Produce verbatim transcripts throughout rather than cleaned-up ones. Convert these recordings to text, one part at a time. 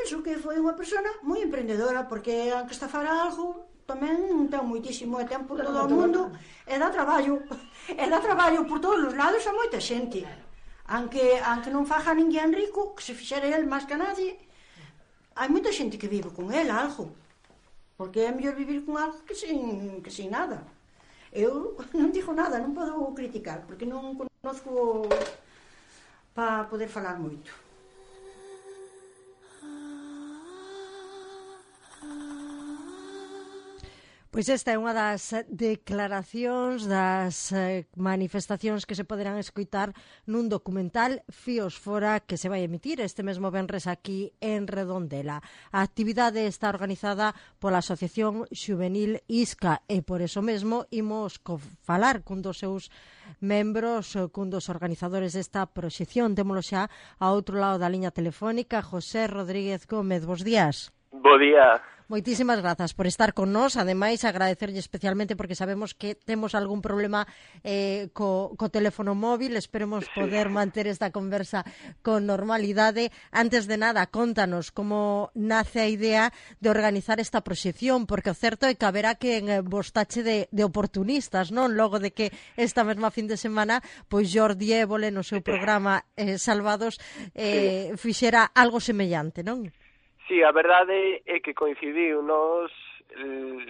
penso que foi unha persona moi emprendedora, porque aunque estafara algo, tamén ten moitísimo de tempo todo o mundo, e dá traballo, e dá traballo por todos os lados a moita xente. Aunque, aunque non faja ninguén rico, que se fixera el máis que nadie, hai moita xente que vive con el algo, porque é mellor vivir con algo que sin, que sin nada. Eu non digo nada, non podo criticar, porque non conozco para poder falar moito. Pois esta é unha das declaracións, das manifestacións que se poderán escoitar nun documental Fíos Fora que se vai emitir este mesmo venres aquí en Redondela. A actividade está organizada pola Asociación Xuvenil Isca e por eso mesmo imos falar cun dos seus membros, cun dos organizadores desta proxección. Témolo xa a outro lado da liña telefónica, José Rodríguez Gómez. Bos días. Bo día. Moitísimas grazas por estar con nós, ademais agradecerlle especialmente porque sabemos que temos algún problema eh, co, co teléfono móvil, esperemos poder manter esta conversa con normalidade. Antes de nada, contanos como nace a idea de organizar esta proxección, porque o certo é que haberá que en vos tache de, de oportunistas, non? Logo de que esta mesma fin de semana, pois Jordi Évole no seu programa eh, Salvados eh, fixera algo semellante, non? Sí, a verdade é que coincidiu, nos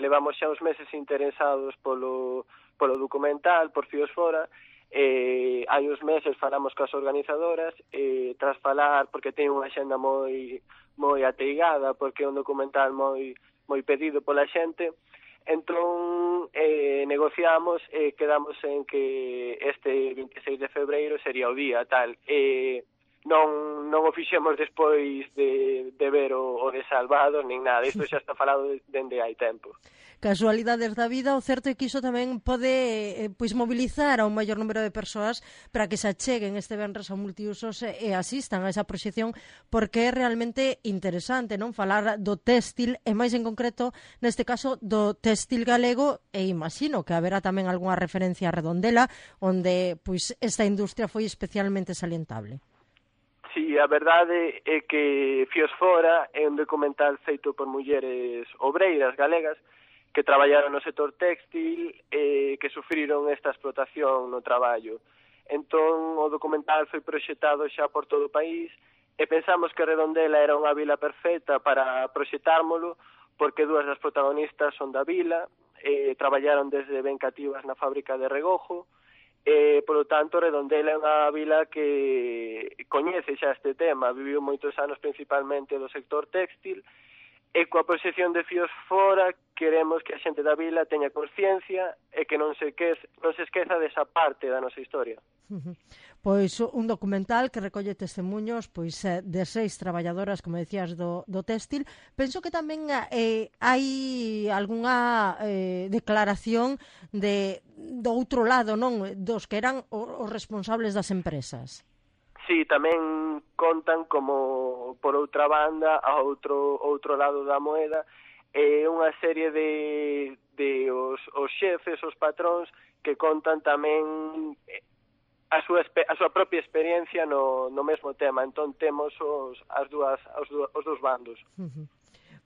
levamos xa uns meses interesados polo, polo documental, por Fíos Fora, e hai uns meses falamos coas organizadoras, e tras falar, porque ten unha xenda moi moi ateigada, porque é un documental moi moi pedido pola xente, entón eh, negociamos e quedamos en que este vinte e seis de febreiro sería o día, tal, e non non o fixemos despois de, de ver o, o de Salvados, nin nada, isto xa está falado dende hai tempo. Casualidades da vida, o certo é que iso tamén pode eh, pois mobilizar a un maior número de persoas para que se acheguen este venres ao multiusos e, e asistan a esa proxección, porque é realmente interesante, non? Falar do téxtil e máis en concreto, neste caso, do téxtil galego, e imagino que haberá tamén algunha referencia a Redondela, onde pois esta industria foi especialmente salientable. Sí, a verdade é que Fíos Fora é un documental feito por mulleres obreiras galegas que traballaron no sector téxtil e que sufriron esta explotación no traballo. Entón, o documental foi proxectado xa por todo o país e pensamos que Redondela era unha vila perfecta para proxectármolo porque dúas das protagonistas son da vila, e traballaron desde ben cativas na fábrica de Regojo, e, polo tanto, Redondela é unha vila que coñece xa este tema, viviu moitos anos principalmente do sector téxtil, e coa proxección de Fíos Fora queremos que a xente da vila teña consciencia e que non se, quez, non se esqueza desa parte da nosa historia. Pois un documental que recolle testemunhos pois de seis traballadoras, como decías, do, do téxtil. Penso que tamén eh, hai algunha eh, declaración de do outro lado, non? Dos que eran os responsables das empresas. Sí, tamén contan como, por outra banda, a outro outro lado da moeda, é eh, unha serie de, de os, os xefes, os patróns, que contan tamén a súa, a súa propia experiencia no, no mesmo tema. Entón temos os, as dúas, os, os dous bandos. Uh-huh.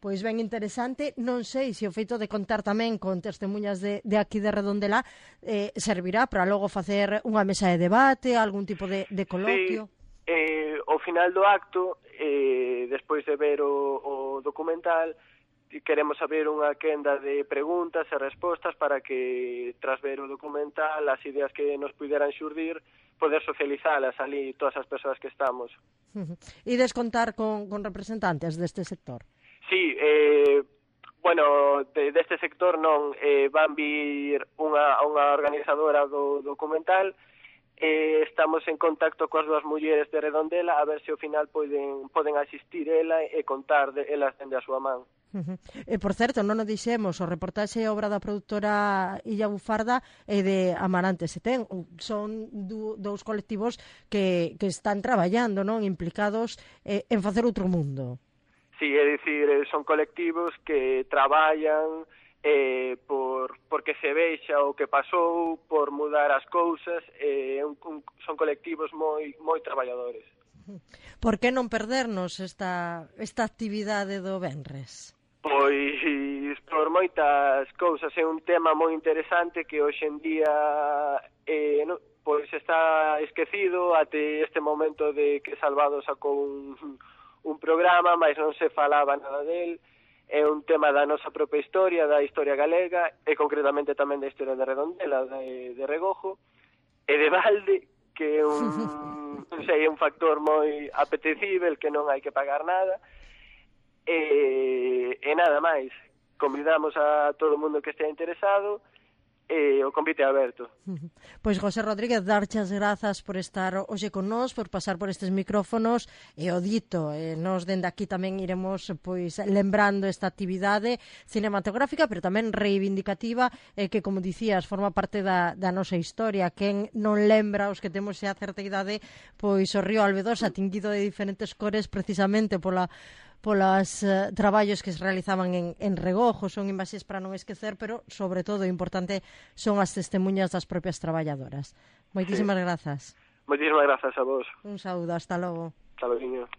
Pois ben interesante, non sei se o feito de contar tamén con testemunhas de, de aquí de Redondela eh, servirá para logo facer unha mesa de debate, algún tipo de, de coloquio. Sí, eh, ao final do acto, eh, despois de ver o, o documental, queremos abrir unha quenda de preguntas e respostas para que, tras ver o documental, as ideas que nos puderan xurdir, poder socializalas ali todas as persoas que estamos. Uh-huh. E descontar con, con representantes deste sector? Sí, eh, bueno, de, deste sector non, eh, van vir unha, unha organizadora do documental, eh, estamos en contacto coas dúas mulleres de Redondela a ver se ao final poden, poden asistir ela e contar de elas dende a súa man. Uh-huh. E, por certo, non o dixemos, o reportaxe é obra da produtora Illa Bufarda e de Amarante Setén. Son du, dous colectivos que, que están traballando, non, implicados eh, en facer outro mundo. Sí, é dicir, son colectivos que traballan eh, por porque se vexa o que pasou, por mudar as cousas, eh, un, un, son colectivos moi moi traballadores. Por que non perdernos esta, esta actividade do venres? Pois por moitas cousas, é un tema moi interesante que hoxe en día eh, no, pois está esquecido até este momento de que Salvado sacou un, un programa, mas non se falaba nada del. É un tema da nosa propia historia, da historia galega, e concretamente tamén da historia de Redondela, de, de Regojo, e de Valde, que é un, non sei, é un factor moi apetecível, que non hai que pagar nada, e, e nada máis. Convidamos a todo o mundo que estea interesado, e o convite é aberto. Pois José Rodríguez, darche as grazas por estar hoxe con nós, por pasar por estes micrófonos, e o dito, e nos dende aquí tamén iremos pois lembrando esta actividade cinematográfica, pero tamén reivindicativa, e que, como dicías, forma parte da, da nosa historia. Quen non lembra, os que temos xa certa idade, pois o río Albedosa, tinguido de diferentes cores precisamente pola polas uh, traballos que se realizaban en, en Regojo, son imaxes para non esquecer, pero, sobre todo, o importante son as testemunhas das propias traballadoras. Moitísimas sí. grazas. Moitísimas grazas a vos. Un saúdo, hasta logo. Hasta logo.